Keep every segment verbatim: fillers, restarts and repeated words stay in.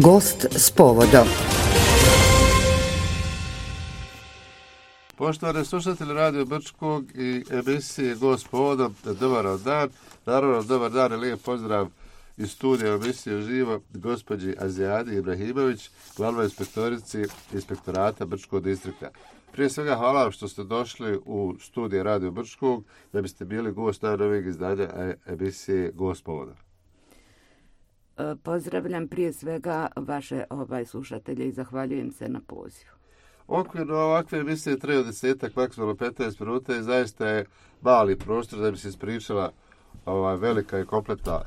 Gost s povodom. Poštovani slušatelji Radio Brčkog i emisije Gost s povodom, dobar dan. Naravno, dobar dan i lijep pozdrav iz studija emisije uživo gospođi Azijadi Ibrahimović, glavnoj inspektorici inspektorata Brčkog distrikta. Prije svega hvala vam što ste došli u studije Radio Brčkog da biste bili gost najnovijeg izdanja emisije Gost s povodom. Pozdravljam prije svega vaše ovaj, slušatelje i zahvaljujem se na pozivu. Okvirno ovakve emisije traju desetak, maksimalno petnaest minuta i zaista je mali prostor da bi se ispričala ova velika i kompletna,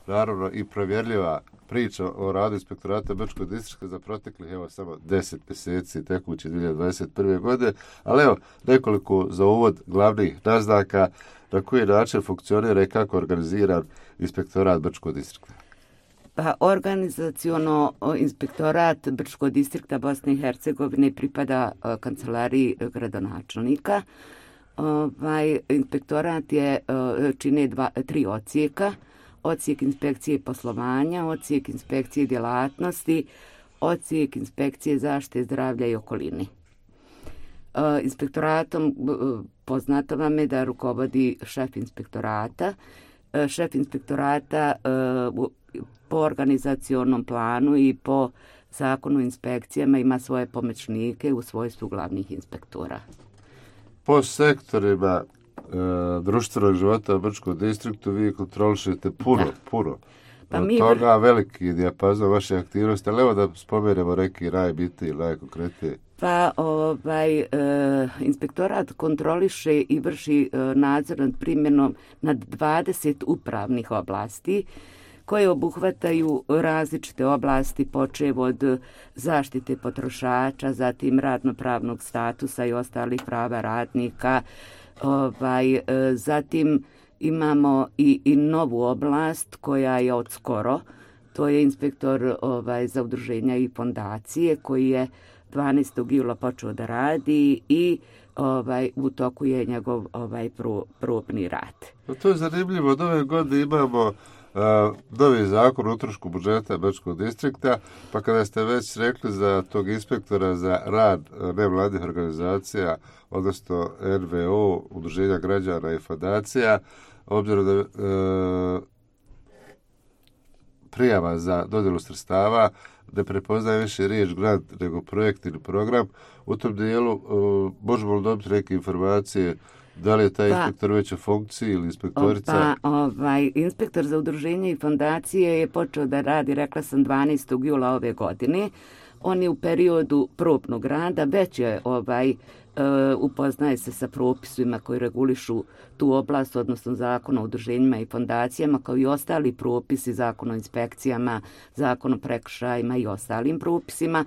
naravno i provjerljiva priča o radu inspektorata Brčkog distrikta za proteklih evo samo deset mjeseci tekuće dvije hiljade dvadeset prve. godine, ali evo nekoliko za uvod glavnih naznaka na koji način funkcionira i kako organiziran inspektorat Brčkog distrikta. Pa organizaciono inspektorat Brčkog distrikta Bosne i Hercegovine pripada uh, kancelariji gradonačelnika. Ovaj inspektorat je uh, čine dva, tri odsjeka. Odsjek inspekcije poslovanja, odsjek inspekcije djelatnosti, odsjek inspekcije zaštite zdravlja i okolini. Uh, inspektoratom uh, poznato vam je da rukovodi šef inspektorata. Uh, šef inspektorata uh, po organizacionom planu i po zakonu o inspekcijama ima svoje pomoćnike u svojstvu glavnih inspektora. Po sektorima e, društvenog života u Brčkom distriktu vi kontrolišete puno, da. puno. Pa od mi toga veliki dijapazon vaše aktivnosti, ali evo da spomenemo neki najbitniji, najkonkretniji. Pa ovaj e, inspektorat kontroliše i vrši e, nadzor nad primjenom nad dvadeset upravnih oblasti koje obuhvataju različite oblasti, počev od zaštite potrošača, zatim radnopravnog statusa i ostalih prava radnika. Ovaj, zatim imamo i, i novu oblast koja je od skoro, to je inspektor ovaj, za udruženja i fondacije koji je dvanaestog jula počeo da radi i ovaj, u toku je njegov ovaj, pro, probni rad. No, to je zanimljivo, od ove godine imamo Uh, novi zakon o utrošku budžeta Brčkog distrikta, pa kada ste već rekli za tog inspektora za rad nevladnih organizacija, odnosno N V O, udruženja građana i fondacija, obzirom da uh, prijava za dodjelu sredstava ne prepoznaje više riječ grant nego projekt ili program, u tom dijelu uh, možemo li dobiti neke informacije da li je taj pa, inspektor već u funkciji ili inspektorica? Pa, ovaj, inspektor za udruženje i fondacije je počeo da radi, rekla sam, dvanaestog jula ove godine. On je u periodu probnog rada, već je ovaj, uh, upoznaje se sa propisima koji regulišu tu oblast, odnosno zakon o udruženjima i fondacijama, kao i ostali propisi, zakon o inspekcijama, zakon o prekršajima i ostalim propisima.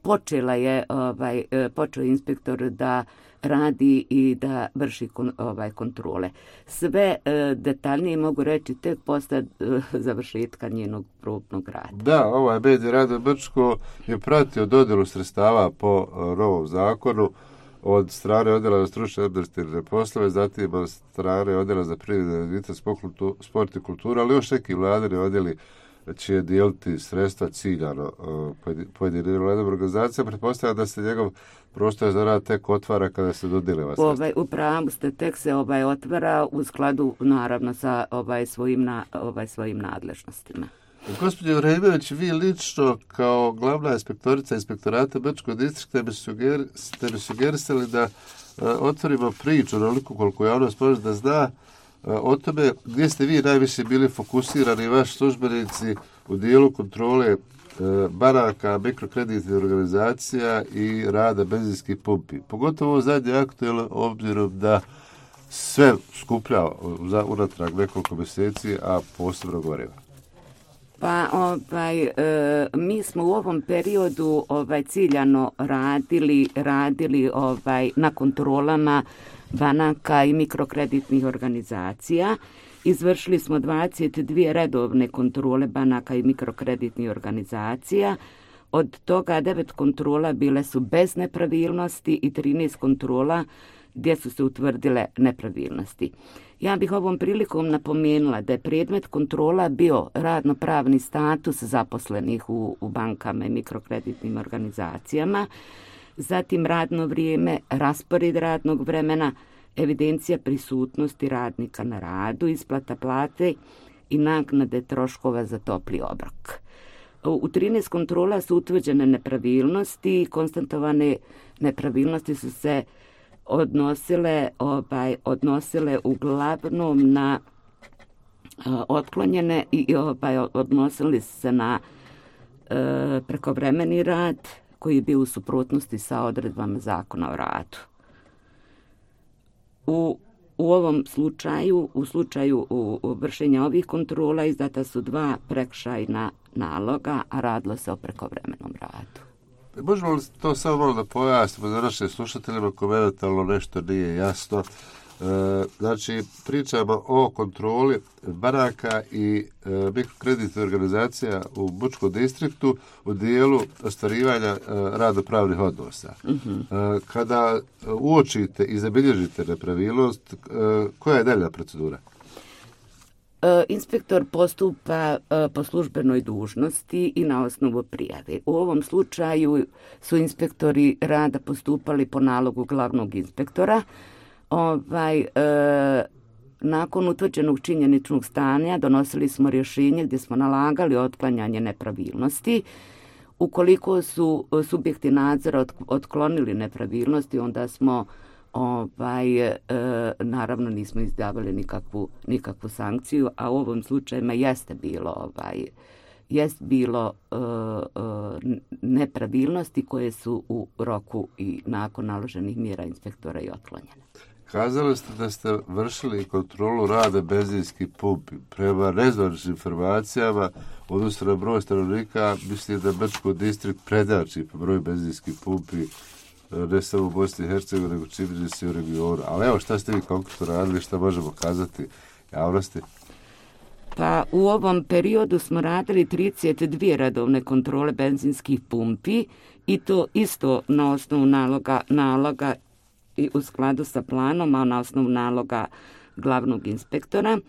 Počela je, ovaj, počeo je inspektor da radi i da vrši kon, ovaj, kontrole. Sve e, detaljnije mogu reći tek posle e, završetka njenog probnog rada. Da, ovaj medij Radio Brčko je pratio dodjelu sredstava po e, novom zakonu od strane odjela za stručne administrativne poslove, zatim od strane odjela za privredni razvitak, sport i kulturu, ali još neki vladini odjeli će dijeliti sredstva ciljano pojedinim vladnim organizacijama. Pretpostavljam da se njegov prostor za rad tek otvara kada se dodijele vas sredstva. Ovaj, upravo ste, tek se ovaj, otvara u skladu naravno sa ovaj, svojim, na, ovaj, svojim nadležnostima. Gospođo Ibrahimović, vi lično kao glavna inspektorica inspektorata Brčkog distrikta bi suger, ste mi sugerisali da uh, otvorimo priču onoliko koliko javnost može da zna o tome gdje ste vi najviše bili fokusirani, vaši službenici u dijelu kontrole e, banaka, mikrokreditnih organizacija i rada benzinskih pumpi. Pogotovo ovo zadnje aktualno obzirom da sve skuplja za unatrag nekoliko mjeseci, a posebno goriva. Pa ovaj, e, mi smo u ovom periodu ovaj, ciljano radili, radili ovaj, na kontrolama banaka i mikrokreditnih organizacija. Izvršili smo dvadeset dvije redovne kontrole banaka i mikrokreditnih organizacija. Od toga devet kontrola bile su bez nepravilnosti i trinaest kontrola gdje su se utvrdile nepravilnosti. Ja bih ovom prilikom napomenula da je predmet kontrola bio radno-pravni status zaposlenih u, u bankama i mikrokreditnim organizacijama, zatim radno vrijeme, raspored radnog vremena, evidencija prisutnosti radnika na radu, isplata plate i naknade troškova za topli obrok. U trinaest kontrola su utvrđene nepravilnosti i konstatovane nepravilnosti su se odnosile, ovaj, odnosile uglavnom na uh, otklonjene i ovaj, odnosili se na uh, prekovremeni rad koji je bio u suprotnosti sa odredbama Zakona o radu. U, u ovom slučaju, u slučaju u, u vršenja ovih kontrola izdata su dva prekršajna naloga, a radilo se o prekovremenom radu. Možemo li to samo malo da pojasnimo za naše slušateljima ko eventualno nešto nije jasno? E, znači, pričamo o kontroli banaka i e, mikrokreditnih organizacija u Bučkom distriktu u dijelu ostvarivanja e, radno-pravnih odnosa. Mm-hmm. E, kada uočite i zabilježite nepravilnost, e, koja je dalja procedura? Inspektor postupa po službenoj dužnosti i na osnovu prijave. U ovom slučaju su inspektori rada postupali po nalogu glavnog inspektora. Ovaj, e, nakon utvrđenog činjeničnog stanja donosili smo rješenje gdje smo nalagali otklanjanje nepravilnosti. Ukoliko su subjekti nadzora otklonili nepravilnosti, onda smo Ovaj, e, naravno nismo izdavali nikakvu, nikakvu sankciju, a u ovom slučajima jeste bilo, ovaj, jest bilo e, e, nepravilnosti koje su u roku i nakon naloženih mjera inspektora i otklonjene. Kazali ste da ste vršili kontrolu rada benzinskih pumpi. Prema nezvaničnim informacijama, odnosno na broj stanovnika, mislim da Brčko distrikt prednjači po broju benzinskih pumpi, ne samo u Bosni i Hercegovini, nego čini se u regionu. Ali evo, šta ste vi konkretno radili, šta možemo kazati javnosti? Pa u ovom periodu smo radili trideset dvije redovne kontrole benzinskih pumpi i to isto na osnovu naloga, naloga i u skladu sa planom, a na osnovu naloga glavnog inspektora.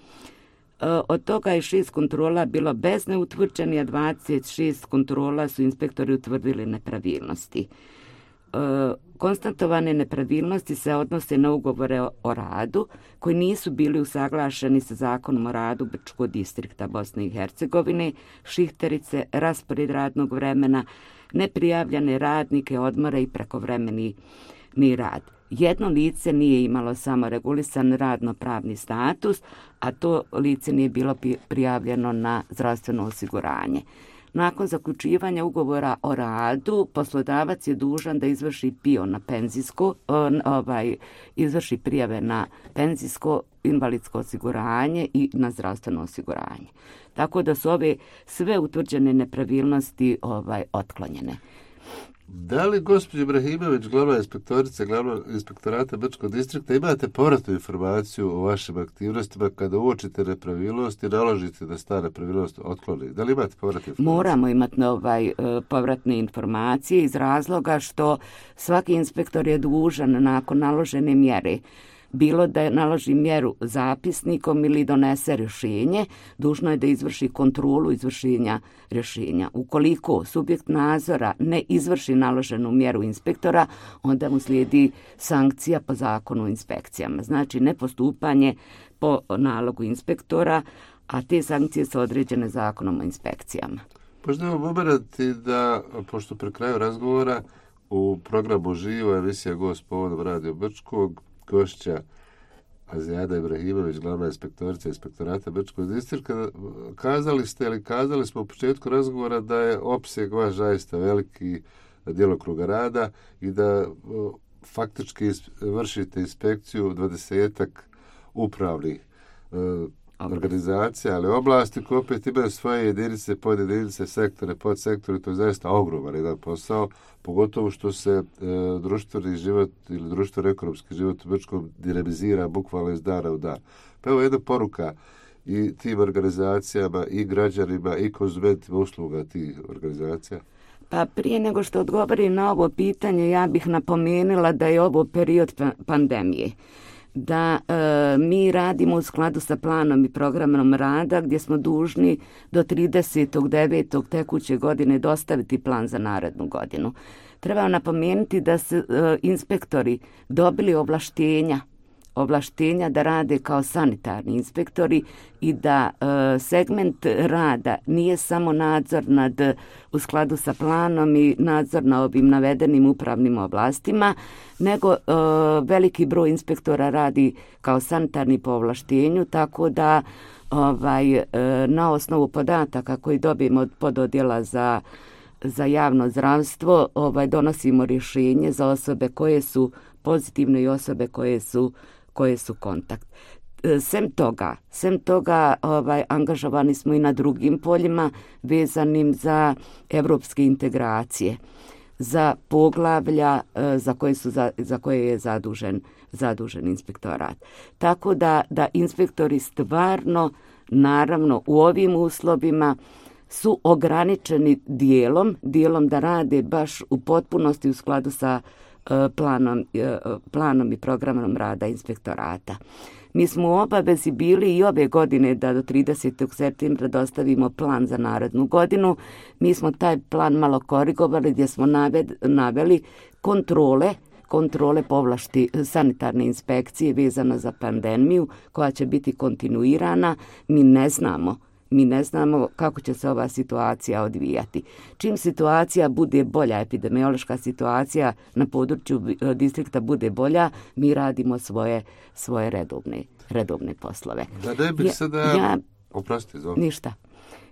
Od toga je šest kontrola bilo bez neutvrđenih, a dvadeset šest kontrola su inspektori utvrdili nepravilnosti. Konstatovane nepravilnosti se odnose na ugovore o radu koji nisu bili usaglašeni sa Zakonom o radu Brčkog distrikta Bosne i Hercegovine, šihterice, raspored radnog vremena, neprijavljene radnike, odmore i prekovremeni ni rad. Jedno lice nije imalo samo regulisan radno-pravni status, a to lice nije bilo prijavljeno na zdravstveno osiguranje. Nakon zaključivanja ugovora o radu, poslodavac je dužan da izvrši pio na penzijsko, ovaj, izvrši prijave na penzijsko, invalidsko osiguranje i na zdravstveno osiguranje. Tako da su ove sve utvrđene nepravilnosti ovaj, otklonjene. Da li gospođa Ibrahimović, glavna inspektorica glavnog inspektorata Brčkog distrikta, imate povratnu informaciju o vašim aktivnostima kada uočite nepravilnost i naložite da ta nepravilnost otkloni? Da li imate povratne informacije? Moramo imati ovaj, povratne informacije iz razloga što svaki inspektor je dužan nakon naložene mjere, bilo da naloži mjeru zapisnikom ili donese rješenje, dužno je da izvrši kontrolu izvršenja rješenja. Ukoliko subjekt nadzora ne izvrši naloženu mjeru inspektora, onda mu slijedi sankcija po zakonu o inspekcijama. Znači nepostupanje po nalogu inspektora, a te sankcije su određene zakonom o inspekcijama. Možda vam omerati da, pošto pri kraju razgovora u programu Živo emisija Gost povodom Radio Brčkog, gošća Azijada Ibrahimović, glavna inspektorica inspektorata Brčkog distrikta, kazali ste ili kazali smo u početku razgovora da je opseg vaš zaista veliki djelokruga rada i da o, faktički vršite inspekciju dvadesetak upravnih o, organizacija, ali oblasti koje opet imaju svoje jedinice, podjedinice, sektore, podsektore, to je zaista ogroman jedan posao, pogotovo što se e, društveni život ili društveno-ekonomski život u Brčkom dinamizira bukvalno iz dana u dan. Pa evo jedna poruka i tim organizacijama, i građanima, i konzumentima usluga tih organizacija. Pa prije nego što odgovorim na ovo pitanje, ja bih napomenula da je ovo period pandemije. da e, mi radimo u skladu sa planom i programom rada gdje smo dužni do tridesetog devetog tekuće godine dostaviti plan za narednu godinu. Treba napomenuti da su e, inspektori dobili ovlaštenja ovlaštenja da rade kao sanitarni inspektori i da e, segment rada nije samo nadzor nad, u skladu sa planom i nadzor na ovim navedenim upravnim oblastima, nego e, veliki broj inspektora radi kao sanitarni po ovlaštenju, tako da ovaj, e, na osnovu podataka koji dobijemo od pododjela za za javno zdravstvo ovaj, donosimo rješenje za osobe koje su pozitivne i osobe koje su koje su kontakt. Sem toga, sem toga ovaj, angažovani smo i na drugim poljima vezanim za evropske integracije, za poglavlja za koje, su, za, za koje je zadužen, zadužen inspektorat. Tako da, da inspektori stvarno, naravno, u ovim uslovima su ograničeni dijelom, dijelom da rade baš u potpunosti u skladu sa Planom, planom i programom rada inspektorata. Mi smo u obavezi bili i ove godine da do tridesetog septembra dostavimo plan za narednu godinu. Mi smo taj plan malo korigovali gdje smo naved, naveli kontrole kontrole povlašti sanitarne inspekcije vezano za pandemiju koja će biti kontinuirana. Mi ne znamo Mi ne znamo kako će se ova situacija odvijati. Čim situacija bude bolja, epidemiološka situacija na području distrikta bude bolja, mi radimo svoje, svoje redovne, redovne poslove. Da ne bih ja, sada... Ja, Oprosti, zove. Ništa.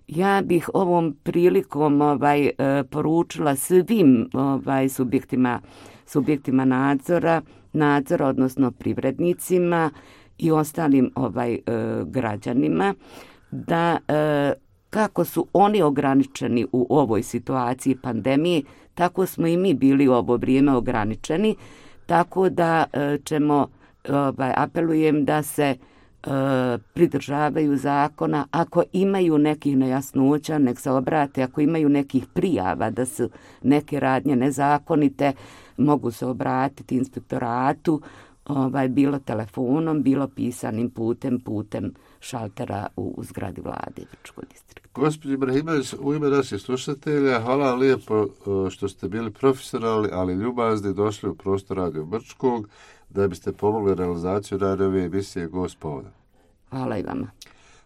Ja bih ovom prilikom ovaj, poručila svim ovaj, subjektima, subjektima nadzora, nadzora, odnosno privrednicima i ostalim ovaj, građanima, da e, kako su oni ograničeni u ovoj situaciji pandemije, tako smo i mi bili u ovo vrijeme ograničeni, tako da e, ćemo, ovaj, apelujem da se e, pridržavaju zakona. Ako imaju nekih nejasnoća, nek se obrate. Ako imaju nekih prijava da su neke radnje nezakonite, mogu se obratiti inspektoratu, ovaj, bilo telefonom, bilo pisanim putem, putem šaltera u, u zgradi vlade Brčkog distrikta. Gospođo Ibrahimović, u ime naših slušatelja, hvala vam lijepo što ste bili profesionalni, ali ljubazni, došli u prostor Radio Brčkog da biste pomogli realizaciju najnovije emisije Gost povodom. Hvala i vama.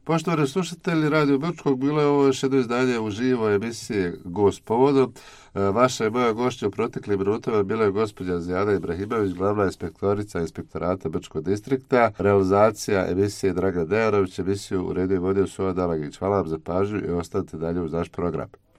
Poštovani slušatelji Radio Brčkog, bilo je ovo još jedno izdanje uživo emisije Gost povodom. Vaša i moja gošća u proteklim minutama bila je gospođa Zijada Ibrahimović, glavna inspektorica inspektorata Brčkog distrikta. Realizacija emisije Dragan Dejanović, emisiju uredio i vodio Suva Dalagić. Hvala vam za pažnju i ostanite dalje uz naš program.